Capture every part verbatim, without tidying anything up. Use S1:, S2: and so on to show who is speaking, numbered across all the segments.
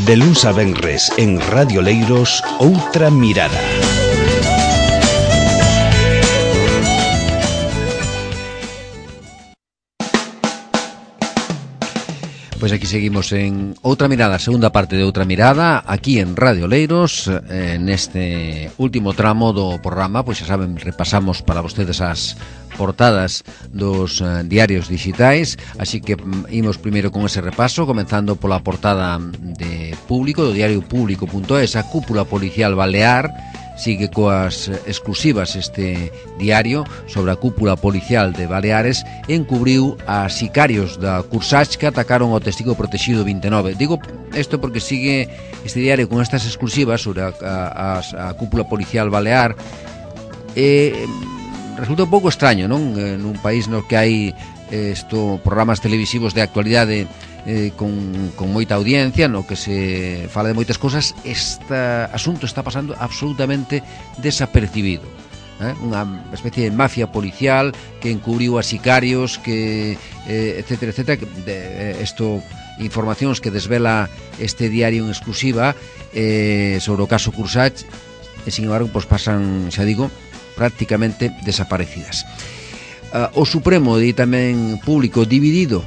S1: De luns a venres en Radio Leiros, Outra Mirada.
S2: Pois aquí seguimos en Outra Mirada, segunda parte de Outra Mirada, aquí en Radio Leiros, eh, neste último tramo do programa. Pois xa saben, repasamos para vostedes as portadas dos eh, diarios digitais, así que mm, imos primeiro con ese repaso, comenzando pola portada de Público, do diario público punto es. A cúpula policial balear sigue coas exclusivas este diario sobre a cúpula policial de Baleares. Encubriu a sicarios da Cursache que atacaron ao testigo protegido vinte e nove. Digo isto porque sigue este diario con estas exclusivas sobre a, a, a, a cúpula policial balear. E resulta un pouco extraño, non? Nun país no que hai isto, programas televisivos de actualidade Eh, con, con moita audiencia, no que se fala de moitas cosas, este asunto está pasando absolutamente desapercibido, eh? Unha especie de mafia policial que encubriu a sicarios, que eh, etcétera, etcétera, de, esto, informacións que desvela este diario en exclusiva eh, sobre o caso Cursache, e sin embargo pues pasan, xa digo, prácticamente desaparecidas. uh, O Supremo, di tamén Público, dividido,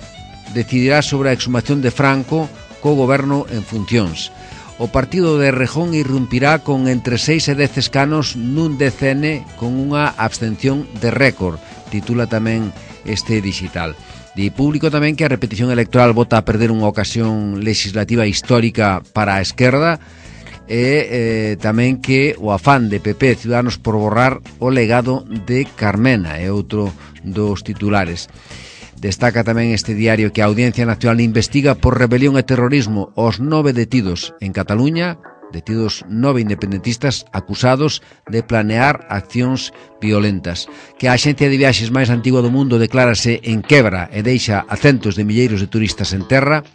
S2: decidirá sobre a exhumación de Franco co goberno en funcións. O partido de Errejón irrumpirá con entre seis e dez escanos nun D C N con unha abstención de récord, titula tamén este digital. Di Público tamén que a repetición electoral vota a perder unha ocasión legislativa histórica para a esquerda, e eh, tamén que o afán de P P e Ciudadanos por borrar o legado de Carmena é outro dos titulares. Destaca tamén este diario que a Audiencia Nacional investiga por rebelión e terrorismo os nove detidos en Cataluña, detidos nove independentistas acusados de planear accións violentas. Que a axencia de viaxes máis antigua do mundo declárase en quebra e deixa a centos de milleiros de turistas en terra.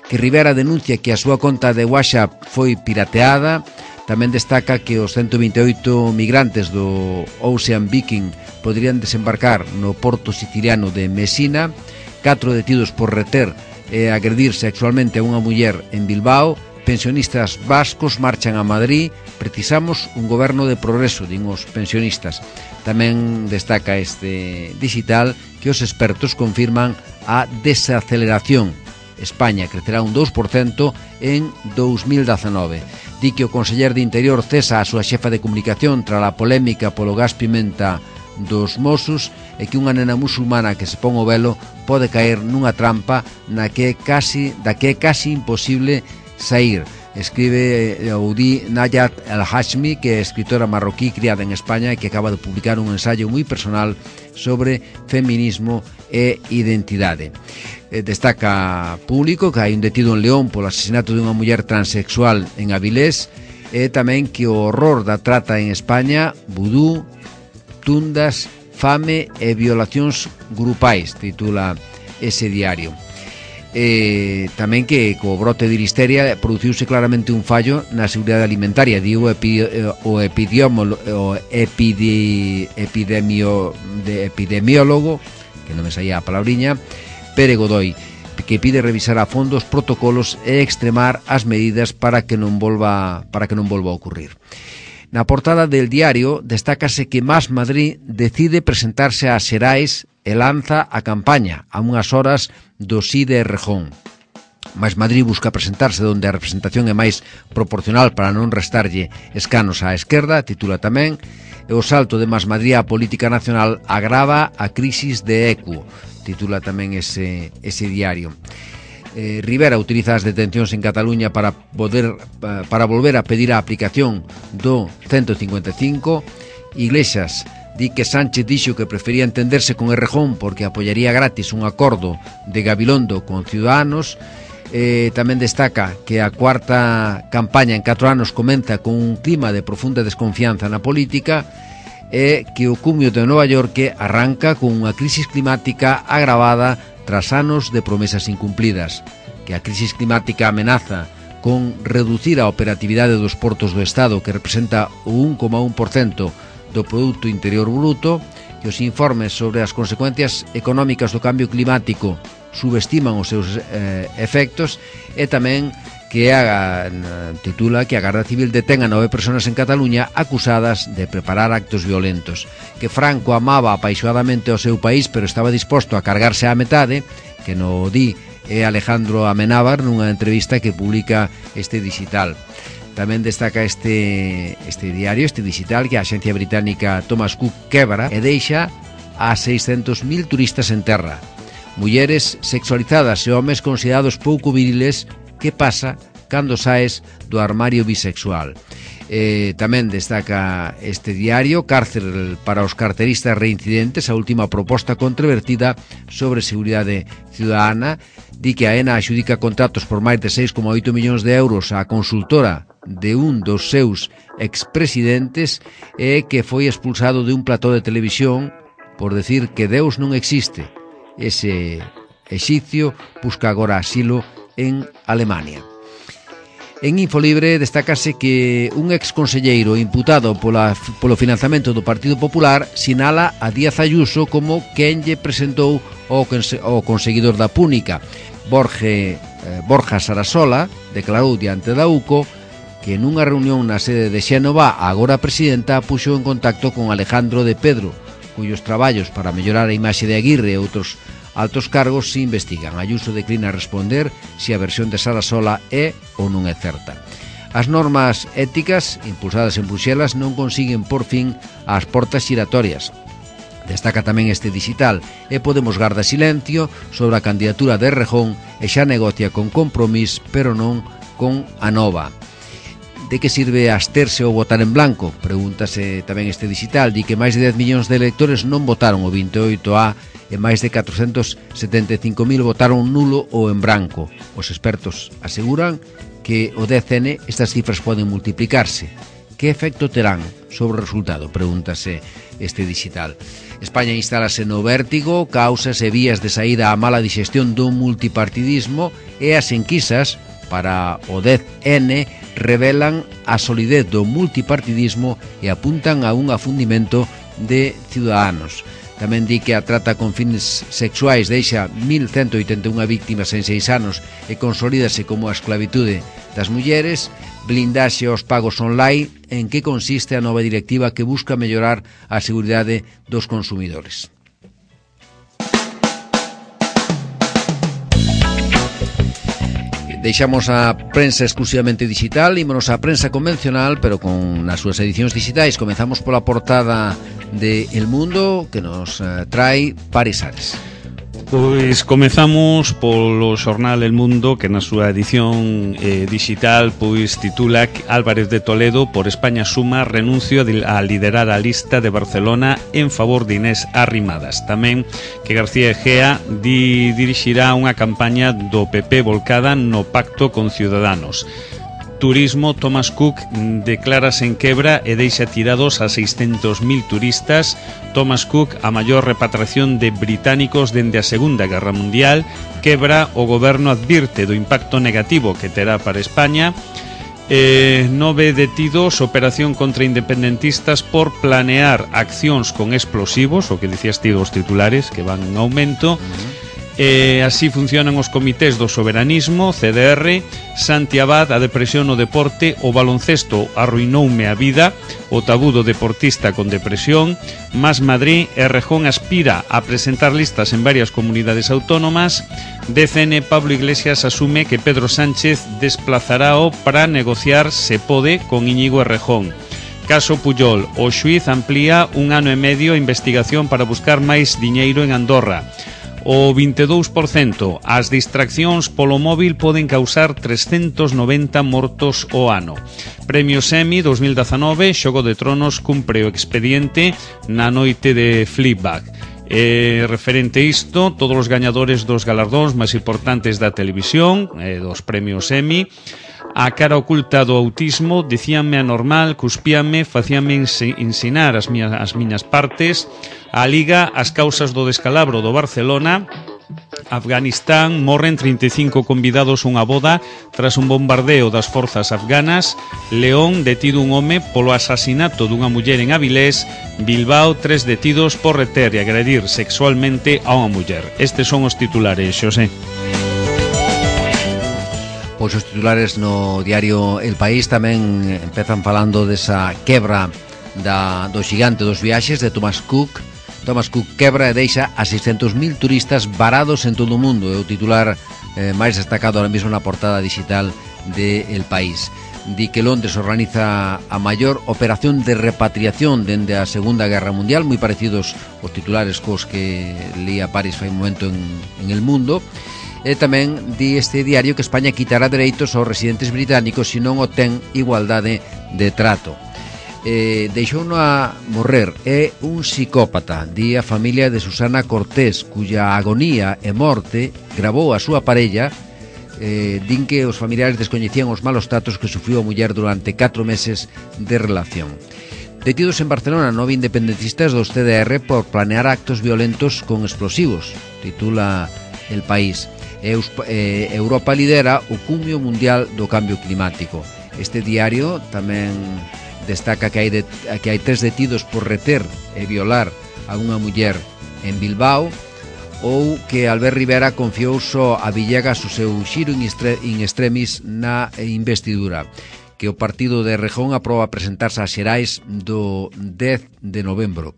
S2: Que Rivera denuncia que a súa conta de WhatsApp foi pirateada. Tamén destaca que os ciento vinte e oito migrantes do Ocean Viking podrían desembarcar no porto siciliano de Mesina. Catro detidos por reter e agredir sexualmente a unha muller en Bilbao. Pensionistas vascos marchan a Madrid. Precisamos un goberno de progreso, din os pensionistas. Tamén destaca este digital que os expertos confirman a desaceleración. España crecerá un dous por cento en dous mil dezanove. Di que o conseller de Interior cesa a súa xefa de comunicación tras a polémica polo gas pimenta dos Mossos, e que unha nena musulmana que se pon o velo pode caer nunha trampa na que é casi, da que é casi imposible sair. Escribe ou di Nayat El-Hashmi, que é escritora marroquí criada en España e que acaba de publicar un ensayo moi personal sobre feminismo e identidade. Destaca Público que hai un detido en León polo asesinato de unha muller transexual en Avilés, e tamén que o horror da trata en España, vudú, tundas, fame e violacións grupais, titula ese diario. E tamén que co brote de listeria produciuse claramente un fallo na seguridade alimentaria, digo epi, o epidemiólogo, o epidi, epidemio, de epidemiólogo, que non me saía a palabriña, Pere Godoy, que pide revisar a fondo os protocolos e extremar as medidas para que non volva para que non volva a ocurrir. Na portada del diario destácase que Más Madrid decide presentarse a Xerais e lanza a campaña a unhas horas do sí de Errejón. Más Madrid busca presentarse onde a representación é máis proporcional para non restarlle escanos á esquerda, titula tamén, e o salto de Más Madrid á política nacional agrava a crisis de Equo, titula tamén ese, ese diario. Eh, Rivera utiliza as detencións en Cataluña para poder para volver a pedir a aplicación do ciento cincuenta e cinco. Iglesias di que Sánchez dixo que prefería entenderse con Errejón porque apoyaría gratis un acordo de Gabilondo con Ciudadanos. Eh, tamén destaca que a cuarta campaña en catro anos comeza con un clima de profunda desconfianza na política, e que o cumio de Nova York arranca con unha crisis climática agravada tras anos de promesas incumplidas, que a crisis climática amenaza con reducir a operatividade dos portos do Estado, que representa o un coma un por cento do Produto Interior Bruto, que os informes sobre as consecuencias económicas do cambio climático subestiman os seus eh, efectos, e tamén que a, titula que a Garda Civil detén a nove persoas en Cataluña acusadas de preparar actos violentos, que Franco amaba apaixonadamente o seu país pero estaba disposto a cargarse á metade, que no di é Alejandro Amenábar nunha entrevista que publica este digital. Tamén destaca este, este diario, este digital, que a axencia británica Thomas Cook quebra e deixa a seiscentos mil turistas en terra. Mulleres sexualizadas e homes considerados pouco viriles. Que pasa cando saes do armario bisexual? Eh, tamén destaca este diario, cárcel para os carteristas reincidentes, a última proposta controvertida sobre seguridade ciudadana. Di que a ENA axudica contratos por máis de seis coma oito millóns de euros á consultora de un dos seus expresidentes e que foi expulsado de un plató de televisión por decir que Deus non existe. Ese exipcio busca agora asilo en Alemania. En Infolibre destacase que un exconselleiro imputado pola, polo financiamento do Partido Popular sinala a Díaz Ayuso como quen lle presentou o, o conseguidor da Púnica. Borge, eh, Borja Sarasola declarou diante da U C O que nunha reunión na sede de Xénova a agora presidenta puxo en contacto con Alejandro de Pedro, cuyos traballos para mellorar a imaxe de Aguirre e outros altos cargos se investigan. Ayuso declina responder se a versión de Sarasola é ou non é certa. As normas éticas impulsadas en Bruxelas non consiguen por fin as portas xiratorias. Destaca tamén este digital e Podemos garda silencio sobre a candidatura de Errejón e xa negocia con Compromís, pero non con Anova. De que sirve absterse ou votar en blanco? Pregúntase tamén este digital. Di que máis de dez millóns de electores non votaron o vinte e oito A e máis de catrocentos setenta e cinco mil votaron nulo ou en branco. Os expertos aseguran que o dez ene estas cifras poden multiplicarse. Que efecto terán sobre o resultado? Pregúntase este digital. España instálase no vértigo, causas e vías de saída á mala digestión do multipartidismo, e as enquisas para o dez ene revelan a solidez do multipartidismo e apuntan a un afundimento de Ciudadanos. Tamén di que a trata con fines sexuais deixa mil cento oitenta e unha víctimas en seis anos e consolídase como a esclavitude das mulleres. Blindaxe aos pagos online. En que consiste a nova directiva que busca mellorar a seguridade dos consumidores? Deixamos a prensa exclusivamente digital, ímonos a prensa convencional, pero con as súas edicións digitais. Comezamos pola portada de El Mundo, que nos uh, trae Paris Ares.
S3: Pois comezamos polo xornal El Mundo, que na súa edición eh, digital pois titula Álvarez de Toledo por España suma renuncio a liderar a lista de Barcelona en favor de Inés Arrimadas. Tamén que García Egea di, dirixirá unha campaña do P P volcada no pacto con Ciudadanos. Turismo, Thomas Cook declárase en quebra e deixa tirados a seiscentos mil turistas. Thomas Cook, a maior repatriación de británicos dende a Segunda Guerra Mundial. Quebra, o goberno advirte do impacto negativo que terá para España. Eh, nove detidos, operación contra independentistas por planear accións con explosivos, o que dicías ti dos titulares, que van en aumento. Uh-huh. Eh, así funcionan os comités do soberanismo, C D R, Santi Abad, a depresión no deporte, o baloncesto arruinoume a vida, o tabú do deportista con depresión, Más Madrid, Errejón aspira a presentar listas en varias comunidades autónomas, D C N, Pablo Iglesias asume que Pedro Sánchez desplazarao para negociar, se pode, con Íñigo Errejón. Caso Pujol, o xuiz amplía un ano e medio a investigación para buscar máis diñeiro en Andorra. O vinte e dous por cento, as distraccións polo móvil poden causar trescentos noventa mortos o ano. Premios Emmy dos mil dezanove, Xogo de Tronos cumpre o expediente na noite de Fleabag. Eh, referente a isto, todos os gañadores dos galardóns máis importantes da televisión, eh, dos premios Emmy, a cara oculta do autismo, dicíanme anormal, cuspíanme, facíanme ensinar as miñas, as miñas partes, a Liga, as causas do descalabro do Barcelona, Afganistán morren trinta e cinco convidados a unha boda tras un bombardeo das forzas afganas. León detido un home polo asasinato dunha muller en Avilés. Bilbao, tres detidos por reter e agredir sexualmente a unha muller. Estes son os titulares, Xosé.
S2: Pois os titulares no diario El País tamén empezan falando desa quebra da, do xigante dos viaxes de Thomas Cook. Thomas Cook quebra e deixa a seiscentos mil turistas varados en todo o mundo. É o titular eh, máis destacado ahora mesmo na portada digital de El País. Di que Londres organiza a maior operación de repatriación dende a Segunda Guerra Mundial, moi parecidos os titulares cos que lía París fai un momento en, en El Mundo. E tamén di este diario que España quitará dereitos aos residentes británicos se non o ten igualdade de trato. Eh, deixou-no a morrer, é un psicópata, di a familia de Susana Cortés, cuya agonía e morte gravou a súa parella. Eh, din que os familiares descoñecían os malos tratos que sufriu a muller durante catro meses de relación. Detidos en Barcelona nove independentistas do C D R por planear actos violentos con explosivos, titula El País. Eus, eh, Europa lidera o cumio mundial do cambio climático. Este diario tamén destaca que hai, de, que hai tres detidos por reter e violar a unha muller en Bilbao, ou que Albert Rivera confiou só a Villegas o seu xiro in, estre, in extremis na investidura, que o partido de Errejón aproba presentarse ás xerais do dez de novembro.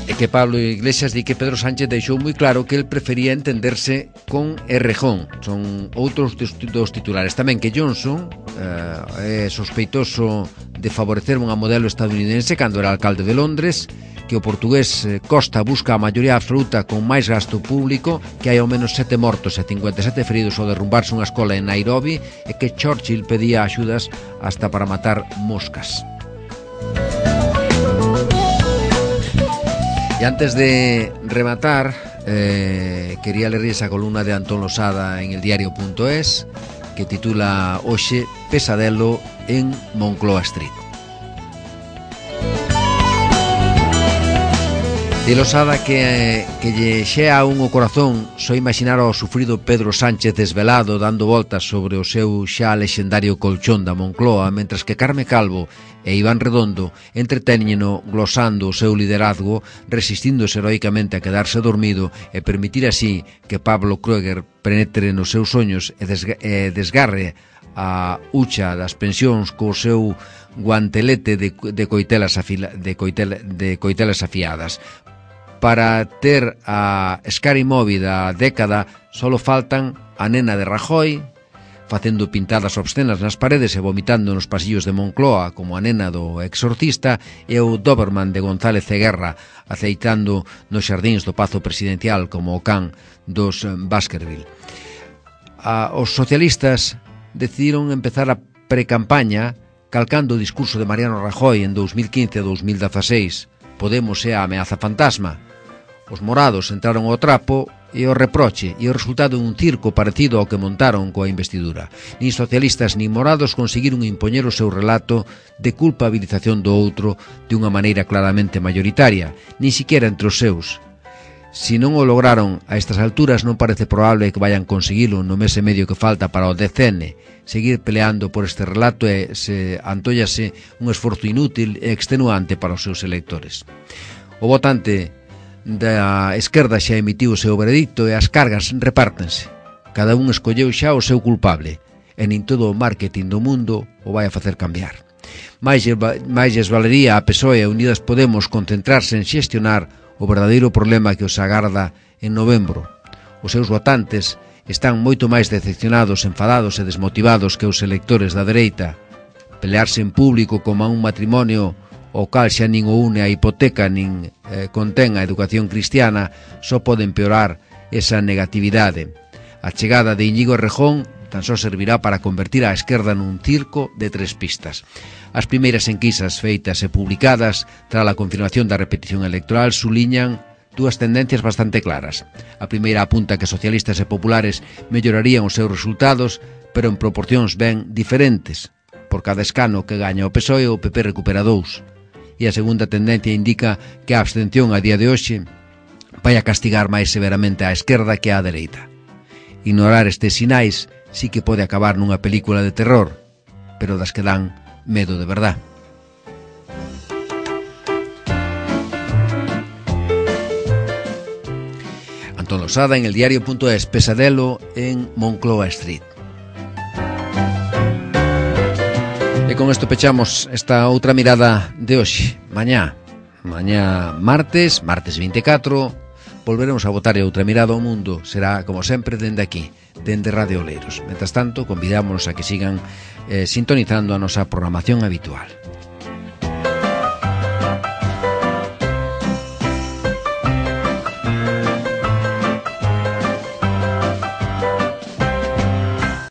S2: E que Pablo Iglesias di que Pedro Sánchez deixou moi claro que el prefería entenderse con Errejón. Son outros dos titulares. Tamén que Johnson eh, é sospeitoso de favorecer unha modelo estadounidense cando era alcalde de Londres, que o portugués Costa busca a maioría absoluta con máis gasto público, que hai ao menos sete mortos e cincuenta e sete feridos ao derrumbarse unha escola en Nairobi, e que Churchill pedía axudas hasta para matar moscas. E antes de rematar, eh, quería ler esa columna de Antón Losada en el diario punto es, que titula Hoxe Pesadelo en Moncloa Street. De Losada que, que lle xea un o corazón só imaginar ao sufrido Pedro Sánchez desvelado dando voltas sobre o seu xa lexendario colchón da Moncloa, mentras que Carme Calvo e Iván Redondo entretéñeno glosando o seu liderazgo, resistíndose heroicamente a quedarse dormido e permitir así que Pablo Kruger penetre nos seus soños e, desga e desgarre a hucha das pensións co seu guantelete de, de, coitelas, afila, de, coitela, de coitelas afiadas. Para ter a Scary Movie da década solo faltan a nena de Rajoy facendo pintadas obscenas nas paredes e vomitando nos pasillos de Moncloa como a nena do Exorcista, e o Doberman de González Ceguerra aceitando nos xardíns do Pazo Presidencial como o can dos Baskerville. A, os socialistas decidiron empezar a precampaña calcando o discurso de Mariano Rajoy en dos mil quince e dos mil dieciséis. Podemos é a ameaza fantasma. Os morados entraron ao trapo e o reproche, e o resultado é un circo parecido ao que montaron coa investidura. Nin socialistas nin morados conseguiron impoñer o seu relato de culpabilización do outro de unha maneira claramente mayoritaria, nin siquiera entre os seus. Si non o lograron a estas alturas, non parece probable que vayan conseguilo no mes e medio que falta para o D C N. Seguir peleando por este relato e se antóllase un esforzo inútil e extenuante para os seus electores. O votante da esquerda xa emitiu o seu veredicto e as cargas repártense. Cada un escolleu xa o seu culpable, e nin todo o marketing do mundo o vai a facer cambiar. Mais lles valería a P S O E e Unidas Podemos concentrarse en xestionar o verdadeiro problema que os agarda en novembro. Os seus votantes están moito máis decepcionados, enfadados e desmotivados que os electores da dereita. Pelearse en público como a un matrimonio o cal xa nin o une a hipoteca nin eh, contén a educación cristiana, só pode empeorar esa negatividade. A chegada de Íñigo Errejón tan só servirá para convertir a esquerda nun circo de tres pistas. As primeiras enquisas feitas e publicadas tras a confirmación da repetición electoral suliñan dúas tendencias bastante claras. A primeira apunta que socialistas e populares mellorarían os seus resultados, pero en proporcións ben diferentes. Por cada escano que gaña o P S O E, o P P recupera dous. E a segunda tendencia indica que a abstención a día de hoxe vai a castigar máis severamente á esquerda que á dereita. Ignorar estes sinais sí que pode acabar nunha película de terror, pero das que dan medo de verdad. Antón Losada en el diario.es, pesadelo en Moncloa Street. E con isto pechamos esta outra mirada de hoxe. Mañá, mañá martes, martes vinte e catro, volveremos a botar outra mirada ao mundo. Será, como sempre, dende aquí, dende Radio Oleiros. Mentras tanto, convidámonos a que sigan eh, sintonizando a nosa programación habitual.